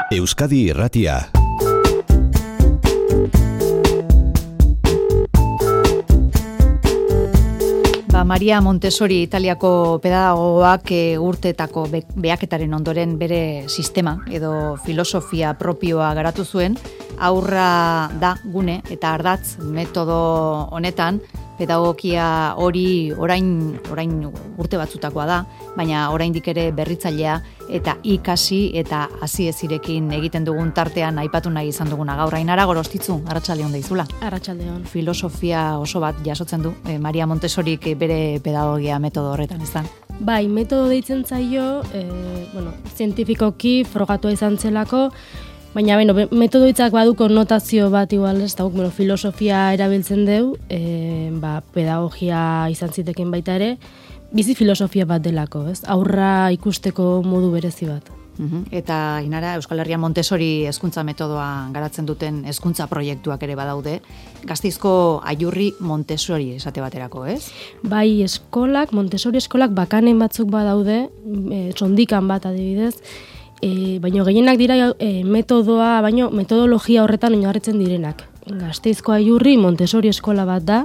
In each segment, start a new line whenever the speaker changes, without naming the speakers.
Euskadi Irratia.
Maria Montessori Italiako pedagogoak urteetako behaketaren ondoren bere sistema edo filosofia propioa garatu zuen. Aurra da gune eta ardatz metodo honetan pedagogia hori orain urte batzutakoa da, baina oraindik ere berritzailea eta ikasi eta hasi ezirekin egiten dugun tartean aipatu nahi izan duguna gaur. Ainara Gorostitzu, arratsaldeon deizula.
Arratsaldeon.
Filosofia oso bat jasotzen du Maria Montessorik bere pedagogia metodo horretan, ezta?
Bai, metodo deitzen zaio, zientifikoki frogatua izan zelako, baina metodo hitzak badu konnotazio bat igual, ez da, filosofia erabiltzen deu, pedagogia izan ziteken baita ere, bizi filosofia bat delako, ez? Aurra ikusteko modu berezi bat.
Eta Ainara, Euskal Herrian Montessori hezkuntza metodoa garatzen duten hezkuntza proiektuak ere badaude. Gasteizko Aiurri Montessori esate baterako, ez?
Bai, Montessori eskolak bakanen batzuk badaude, sondikan bat adibidez, baina gehienak dira metodoa, baina metodologia horretan oinarritzen direnak. Gasteizko Aiurri Montessori eskola bat da,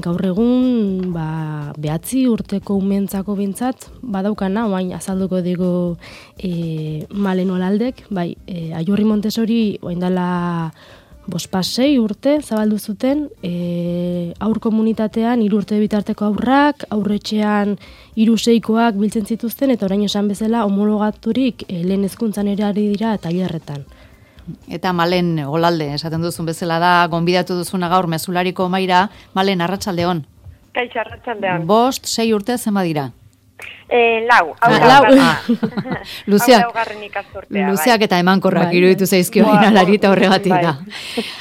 gaur egun 9 urteko umeentzako bintzat badaukana, oain azalduko digu Malen Olaldek, bai, Aiurri Montessori orain dela 5-6 urte zabaldu zuten, aur komunitatean 3 urte bitarteko aurrak, aurretxean 3-6koak biltzen zituzten, eta orain esan bezala homologaturik lehen hezkuntzan ere ari dira tailerretan.
Eta Malen Olalde, esaten duzun bezala da, gonbidatu duzuna gaur mezulariko maira. Malen, arratsaldeon.
Kaixo, arratsaldeon.
5-6 urte zenba dira?
4.
Luzeak eta emankorrak iruditu zaizkio inalari eta horregatik da.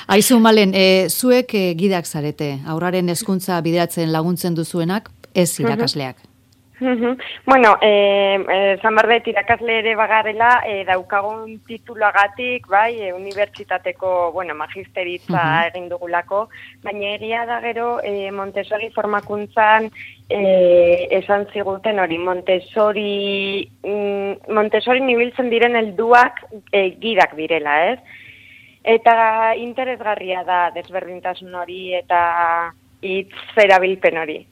Aizu, Malen, zuek gidak zarete, aurraren hezkuntza bideratzen laguntzen duzuenak, ez irakasleak.
Bueno, zanbarbet irakasle ere bagarela, daukagun tituluagatik, bai, unibertsitateko, magisteritza egin dugulako, baina egia da gero Montessori formakuntzan esan ziguten hori, Montessori nibiltzen diren helduak gidak direla, ez? Eta interesgarria da desberdintasun hori eta hitz erabilpen hori.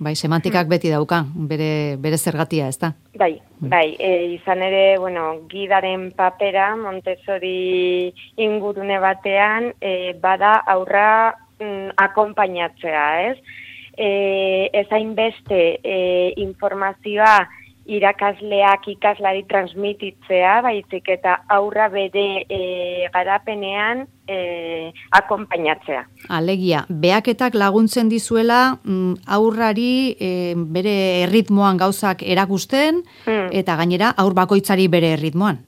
Bai, semantikak beti dauka, bere zergatia, ez da?
Bai, izan ere, gidaren papera Montessori ingurune batean bada aurra akonpainatzea, ez? Ezain beste informazioa irakasleak ikaslari transmititzea, baizik eta aurra bere garapenean akonpainatzea.
Alegia, behaketak laguntzen dizuela aurrari bere erritmoan gauzak erakusten, eta gainera aur bakoitzari bere erritmoan.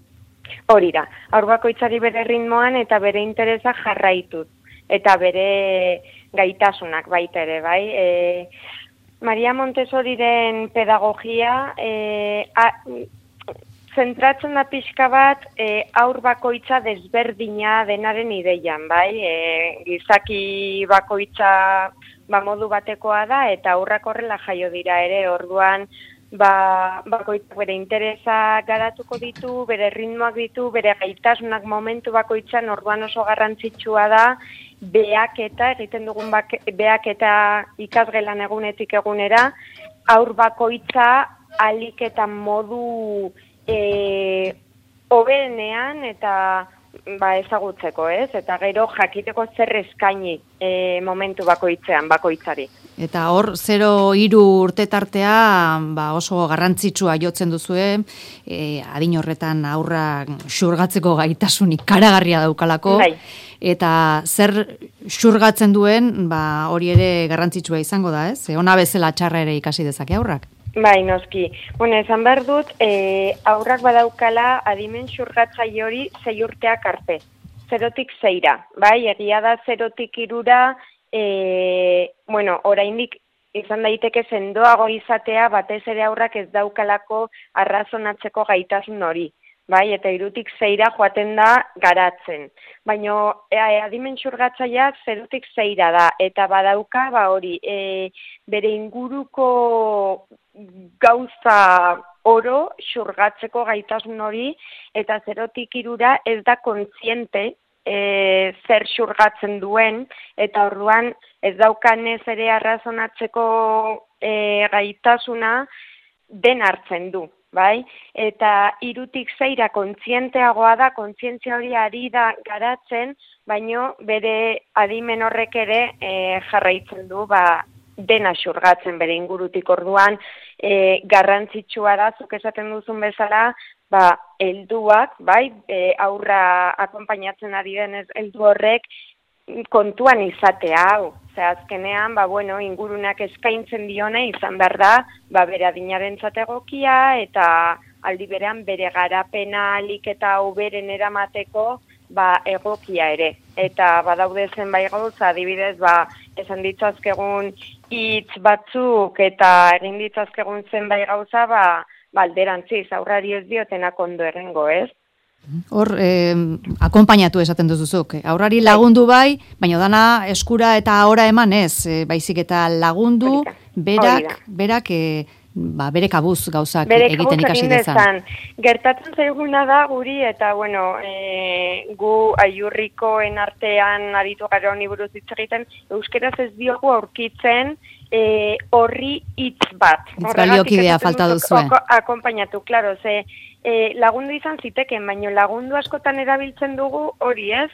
Hori da, aur bakoitzari bere erritmoan eta bere interesa jarraituz, eta bere gaitasunak baita ere, bai. Maria Montessoriren pedagogia zentratzen da pixka bat aur bakoitza desberdina denaren ideian, bai? Gizaki bakoitza modu batekoa da eta aurrak horrela jaio dira ere, orduan bakoitzak bere interesa garatuko ditu, bere ritmoak ditu, bere gaitasunak momentu bakoitzan, orduan oso garrantzitsua da behaketa, egiten dugun behaketa ikasgelan egunetik egunera, aur bakoitza alik eta modu hoberenean eta ezagutzeko, ez? Eta gero jakiteko zer eskaini momentu bakoitzari.
Eta hor, 0-3 urte tartea oso garrantzitsua jotzen duzue, adin horretan aurra xurgatzeko gaitasunik karagarria daukalako, eta zer xurgatzen duen, hori ere garrantzitsua izango da, ez? Ona bezala txarra ere ikasi dezake aurrak.
Bai, noski. Esan behar dut, aurrak badaukala adimen xurgatzaile hori 6 urteak arte. 0-tik 6ra, bai? Egia da 0-tik 3ra, oraindik izan daiteke sendoago izatea, batez ere aurrak ez daukalako arrazonatzeko gaitasun hori. Bai, eta 3-tik 6ra joaten da garatzen. Baina adimen xurgatzailea 0-tik 6ra da, eta badauka bere inguruko gauza oro xurgatzeko gaitasun hori, eta 0tik 3 ez da kontziente zer xurgatzen duen, eta orduan ez daukanez ere arrazonatzeko gaitasuna den hartzen du. Bai? Eta 3tik 6 kontzienteagoa da, kontzientzia hori ari da garatzen, baino bere adimen horrek ere jarraitzen du, dena xurgatzen bere ingurutik. Orduan, garrantzitsua da, zuk esaten duzun bezala, helduak, bai, aurra akonpainatzen ari denez heldu horrek kontuan izatea hau. Azkenean, ingurunak eskaintzen dione izan behar da, bere adinarentzat egokia eta aldi berean bere garapena alik eta hoberen eramateko egokia ere. Eta badaude zenbait gauza, adibidez, esan ditzazkegun hitz batzuk eta egin ditzazkegun zenbait gauza, alderantziz, aurrari ez diotenak ondo errengo, ez?
Hor, akonpainatu esaten duzuzuk. Aurrari lagundu bai, baina dana eskura eta ahora eman ez, baizik eta lagundu, berak bere kabuz gauzak egiten ikasi dezan.
Gertatzen zaiguna da guri, eta gu aiurrikoen artean aritu gara honi buruz hitz egiten, euskeraz ez diogu aurkitzen horri hitz bat.
Hitzbaliokidea falta duzue.
Akonpainatu, klaro, lagundu izan ziteken, baina lagundu askotan erabiltzen dugu hori ez,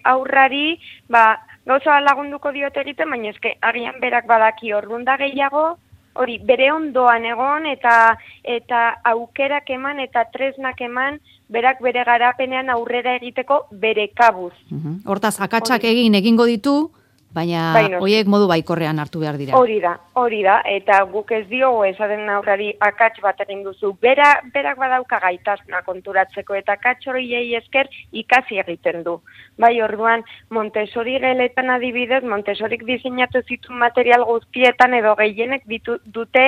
aurrari, gauza lagunduko diote egiten, baina eske agian berak badaki orduan da gehiago, hori bere ondoan egon eta aukerak eman eta tresnak eman, berak bere garapenean aurrera egiteko bere kabuz.
Hortaz, akatsak egingo ditu, baina horiek modu baikorrean hartu behar dira.
Hori da, eta guk ez diogu esaten aurrari akats bat egin duzu. Berak badauka gaitasuna konturatzeko eta akats horiei esker ikasi egiten du. Orduan, Montessori geletan adibidez, Montessorik diseinatu zituen material guztietan edo gehienek dute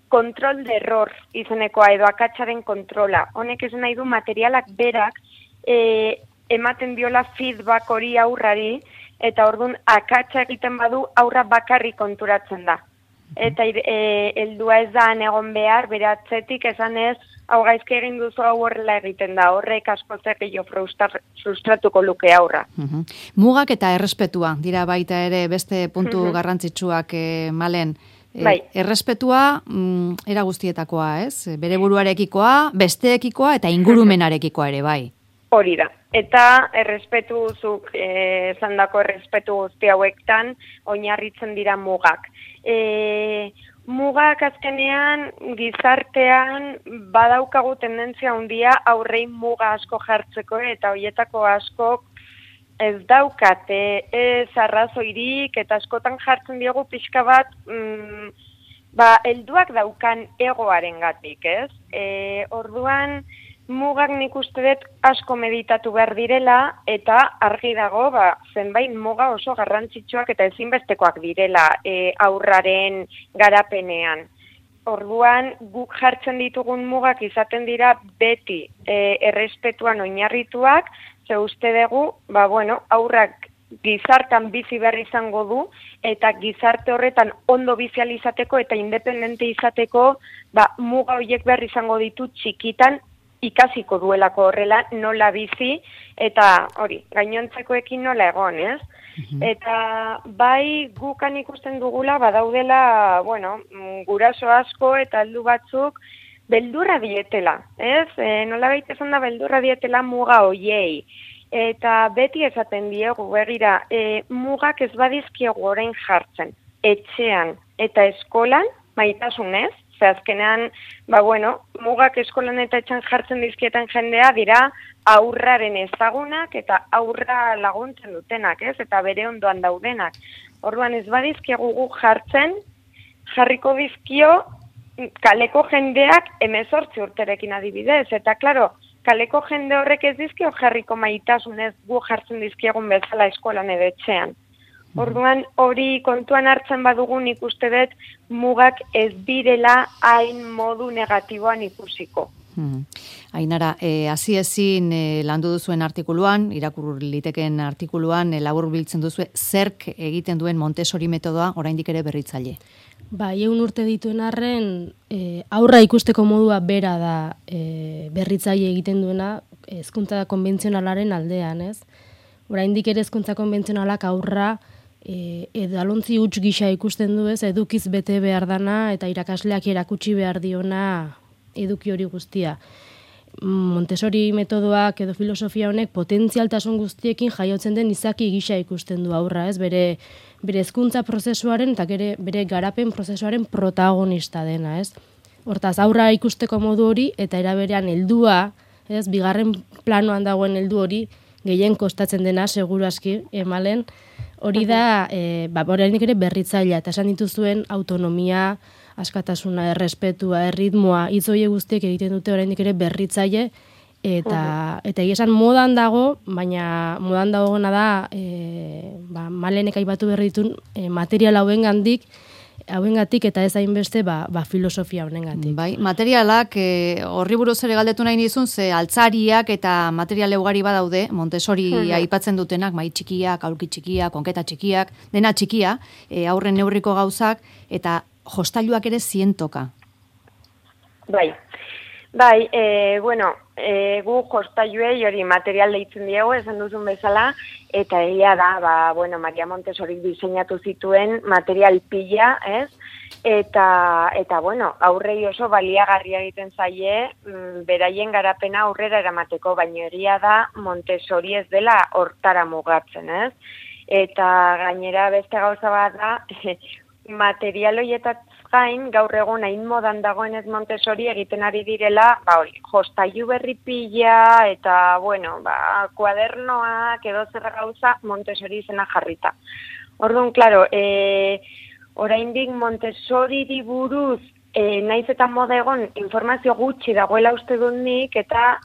kontrol de error izenekoa edo akatsaren kontrola. Honek esan nahi du materialak berak ematen diola feedback hori aurrari, eta orduan akatsa egiten badu aurra bakarrik konturatzen da. Eta heldua ez da egon behar, bere atzetik esan ez, hau gaizki egin duzu hau horrela egiten da, horrek asko gehiago frustratuko luke aurra.
Mugak eta errespetua, dira baita ere beste puntu garrantzitsuak Malen. Errespetua era guztietakoa, ez? Bere buruarekikoa, besteekikoa eta ingurumenarekikoa ere, bai.
Hori da. Eta errespetuzuk, zandako errespetu guzti hauektan, oinarritzen dira mugak. Mugak azkenean, gizartean, badaukagu tendentzia handia aurrein muga asko jartzeko, eta horietako askok ez daukate ez arrazoirik, eta askotan jartzen diogu pixka bat, helduak daukan egoaren gatik, ez? Orduan, mugak nik uste dut asko meditatu behar direla, eta argi dago, zenbait muga oso garrantzitsuak eta ezinbestekoak direla aurraren garapenean. Orduan, guk jartzen ditugun mugak izaten dira beti errespetuan oinarrituak, ze uste dugu, aurrak gizartan bizi behar izango du, eta gizarte horretan ondo bizial izateko eta independente izateko, muga horiek behar izango ditu txikitan, ikasiko duelako horrela nola bizi, eta hori, gainontzekoekin nola egon, ez? Eta bai gukan ikusten dugula, badaudela, guraso asko eta heldu batzuk beldurra dietela, ez? Nola baita esan da beldurra dietela muga hoiei. Eta beti esaten diegu, begira, mugak ez badizkiegu orain jartzen, etxean eta eskolan, maitasunez, azkenean, mugak eskolan eta etxan jartzen dizkietan jendea dira aurraren ezagunak eta aurra laguntzen dutenak, ez? Eta bere ondoan daudenak. Orduan ez badizkiegu guk jarriko dizkio kaleko jendeak 18 urterekin adibidez. Eta, klaro, kaleko jende horrek ez dizkio jarriko maitasunez guk jartzen dizkiegun bezala eskolan edo etxean. Orduan, hori kontuan hartzen badugun ikuste dut mugak ez direla hain modu negatiboan ikusiko.
Ainara, hasi ezin landu duzuen artikuluan, irakur liteken artikuluan, labur biltzen duzue, zerk egiten duen Montessori metodoa oraindik ere berritzaile?
Ba, 100 urte dituen arren, aurra ikusteko modua bera da berritzaile egiten duena hezkuntza konbentzionalaren aldean, ez? Oraindik ere hezkuntza konbentzionalak aurra edalontzi huts gisa ikusten du, ez? Edukiz bete behar dana eta irakasleak erakutsi behar diona eduki hori guztia. Montessori metodoak edo filosofia honek potentzialtasun guztiekin jaiotzen den izaki gisa ikusten du aurra, ez? Bere hezkuntza prozesuaren eta bere garapen prozesuaren protagonista dena, ez? Hortaz, aurra ikusteko modu hori eta eraberean heldua, ez? Bigarren planoan dagoen heldu hori gehien kostatzen dena seguru aski emalen hori da, oraindik ere berritzailea eta esan dituzuen autonomia, askatasuna, errespetua, erritmoa, hitz horiek guztiek egiten dute oraindik ere berritzaile eta egia esan modan dago, baina modan dagoena da Malenek aipatu berri ditun material hauengatik eta ez hainbeste filosofia honengatik.
Bai, materialak horri buruz ere galdetu nahi nizun, ze altzariak eta material ugari badaude, Montessori aipatzen dutenak, mai txikiak, aulki txikiak, konketa txikiak, dena txikia, aurren neurriko gauzak, eta jostailuak ere zientoka.
Bai, gu jostailuei hori material deitzen diegu, esan duzun bezala, eta egia da, Maria Montessori diseinatu zituen material pila, ez? Eta aurrei oso baliagarria egiten zaie, beraien garapena aurrera eramateko, baina egia da Montessori ez dela hortara mugatzen, ez? Eta gainera beste gauza bat da, material horietat gain, gaur egun hain modan dagoenez Montessori egiten ari direla, jostailu berri pila eta, kuadernoak edo zer gauza Montessori izena jarrita. Orduan, klaro, oraindik Montessori buruz, naiz eta moda egon, informazio gutxi dagoela uste dut nik, eta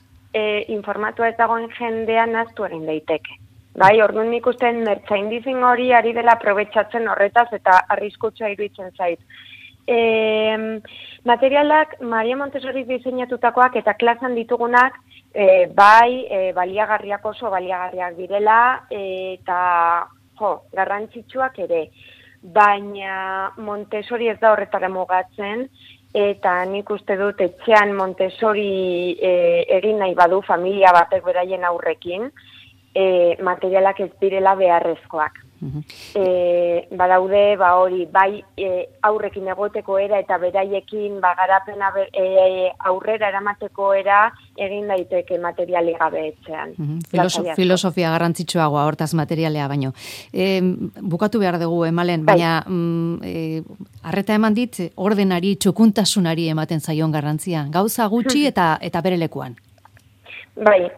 informatua ez dagoen jendean naztu egin daiteke. Bai, orduan nik ustean merchandising hori ari dela aprobetxatzen horretaz eta arriskutsua iruditzen zait. Materialak Maria Montessori diseinatutakoak eta klasan ditugunak baliagarriak oso baliagarriak direla eta garrantzitsuak ere. Baina Montessori ez da horretara mugatzen eta nik uste dut etxean Montessori egin nahi badu familia batek beraien aurrekin, materialak ez direla beharrezkoak. Badaude, hori, aurrekin egoteko era eta beraiekin garapena aurrera eramateko era egin daiteke materiali gabe etxean.
Filosofia garrantzitsuagoa hortaz materialea baino. Bukatu behar dugu, Malen, baina arreta eman dit, ordenari, txukuntasunari ematen zaion garrantzia. Gauza gutxi eta bere lekuan.
Bai,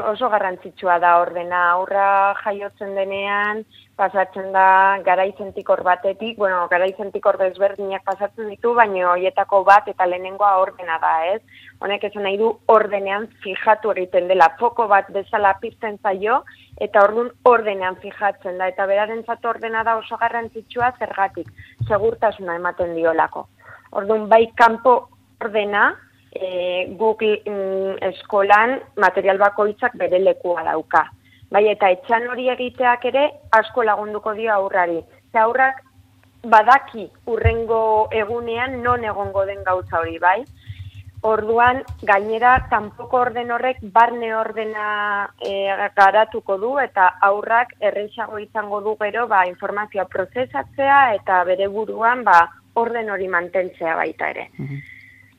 oso garrantzitsua da ordena. Aurra jaiotzen denean, pasatzen da garaizentikor batetik, garaizentikor desberdinak pasatzen ditu, baina horietako bat eta lehenengoa ordena da, ez? Honek esan nahi du ordenean fijatu egiten dela, foko bat bezala pizten zaio, eta orduan ordenean fijatzen da, eta berarentzat ordena da oso garrantzitsua zergatik, segurtasuna ematen diolako. Orduan kanpo ordena, guk eskolan material bakoitzak bere lekua dauka. Bai, eta etxan hori egiteak ere asko lagunduko dio aurrari. Eta aurrak badaki urrengo egunean non egongo den gauza hori, bai? Orduan, gainera, kanpoko orden horrek barne ordena garatuko du eta aurrak erresago izango du gero informazioa prozesatzea eta bere buruan orden hori mantentzea baita ere.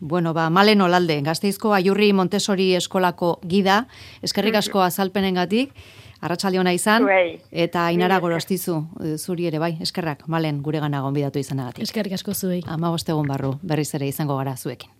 Malen Olalde, Gasteizko Aiurri Montessori eskolako gida, eskerrik asko azalpenengatik, arratsalde ona izan, eta Ainara Gorostizu, zuri ere bai, eskerrak, Malen, guregana gonbidatu izanagatik.
Eskerrik asko zuei.
15 egun barru, berriz ere izango gara zuekin.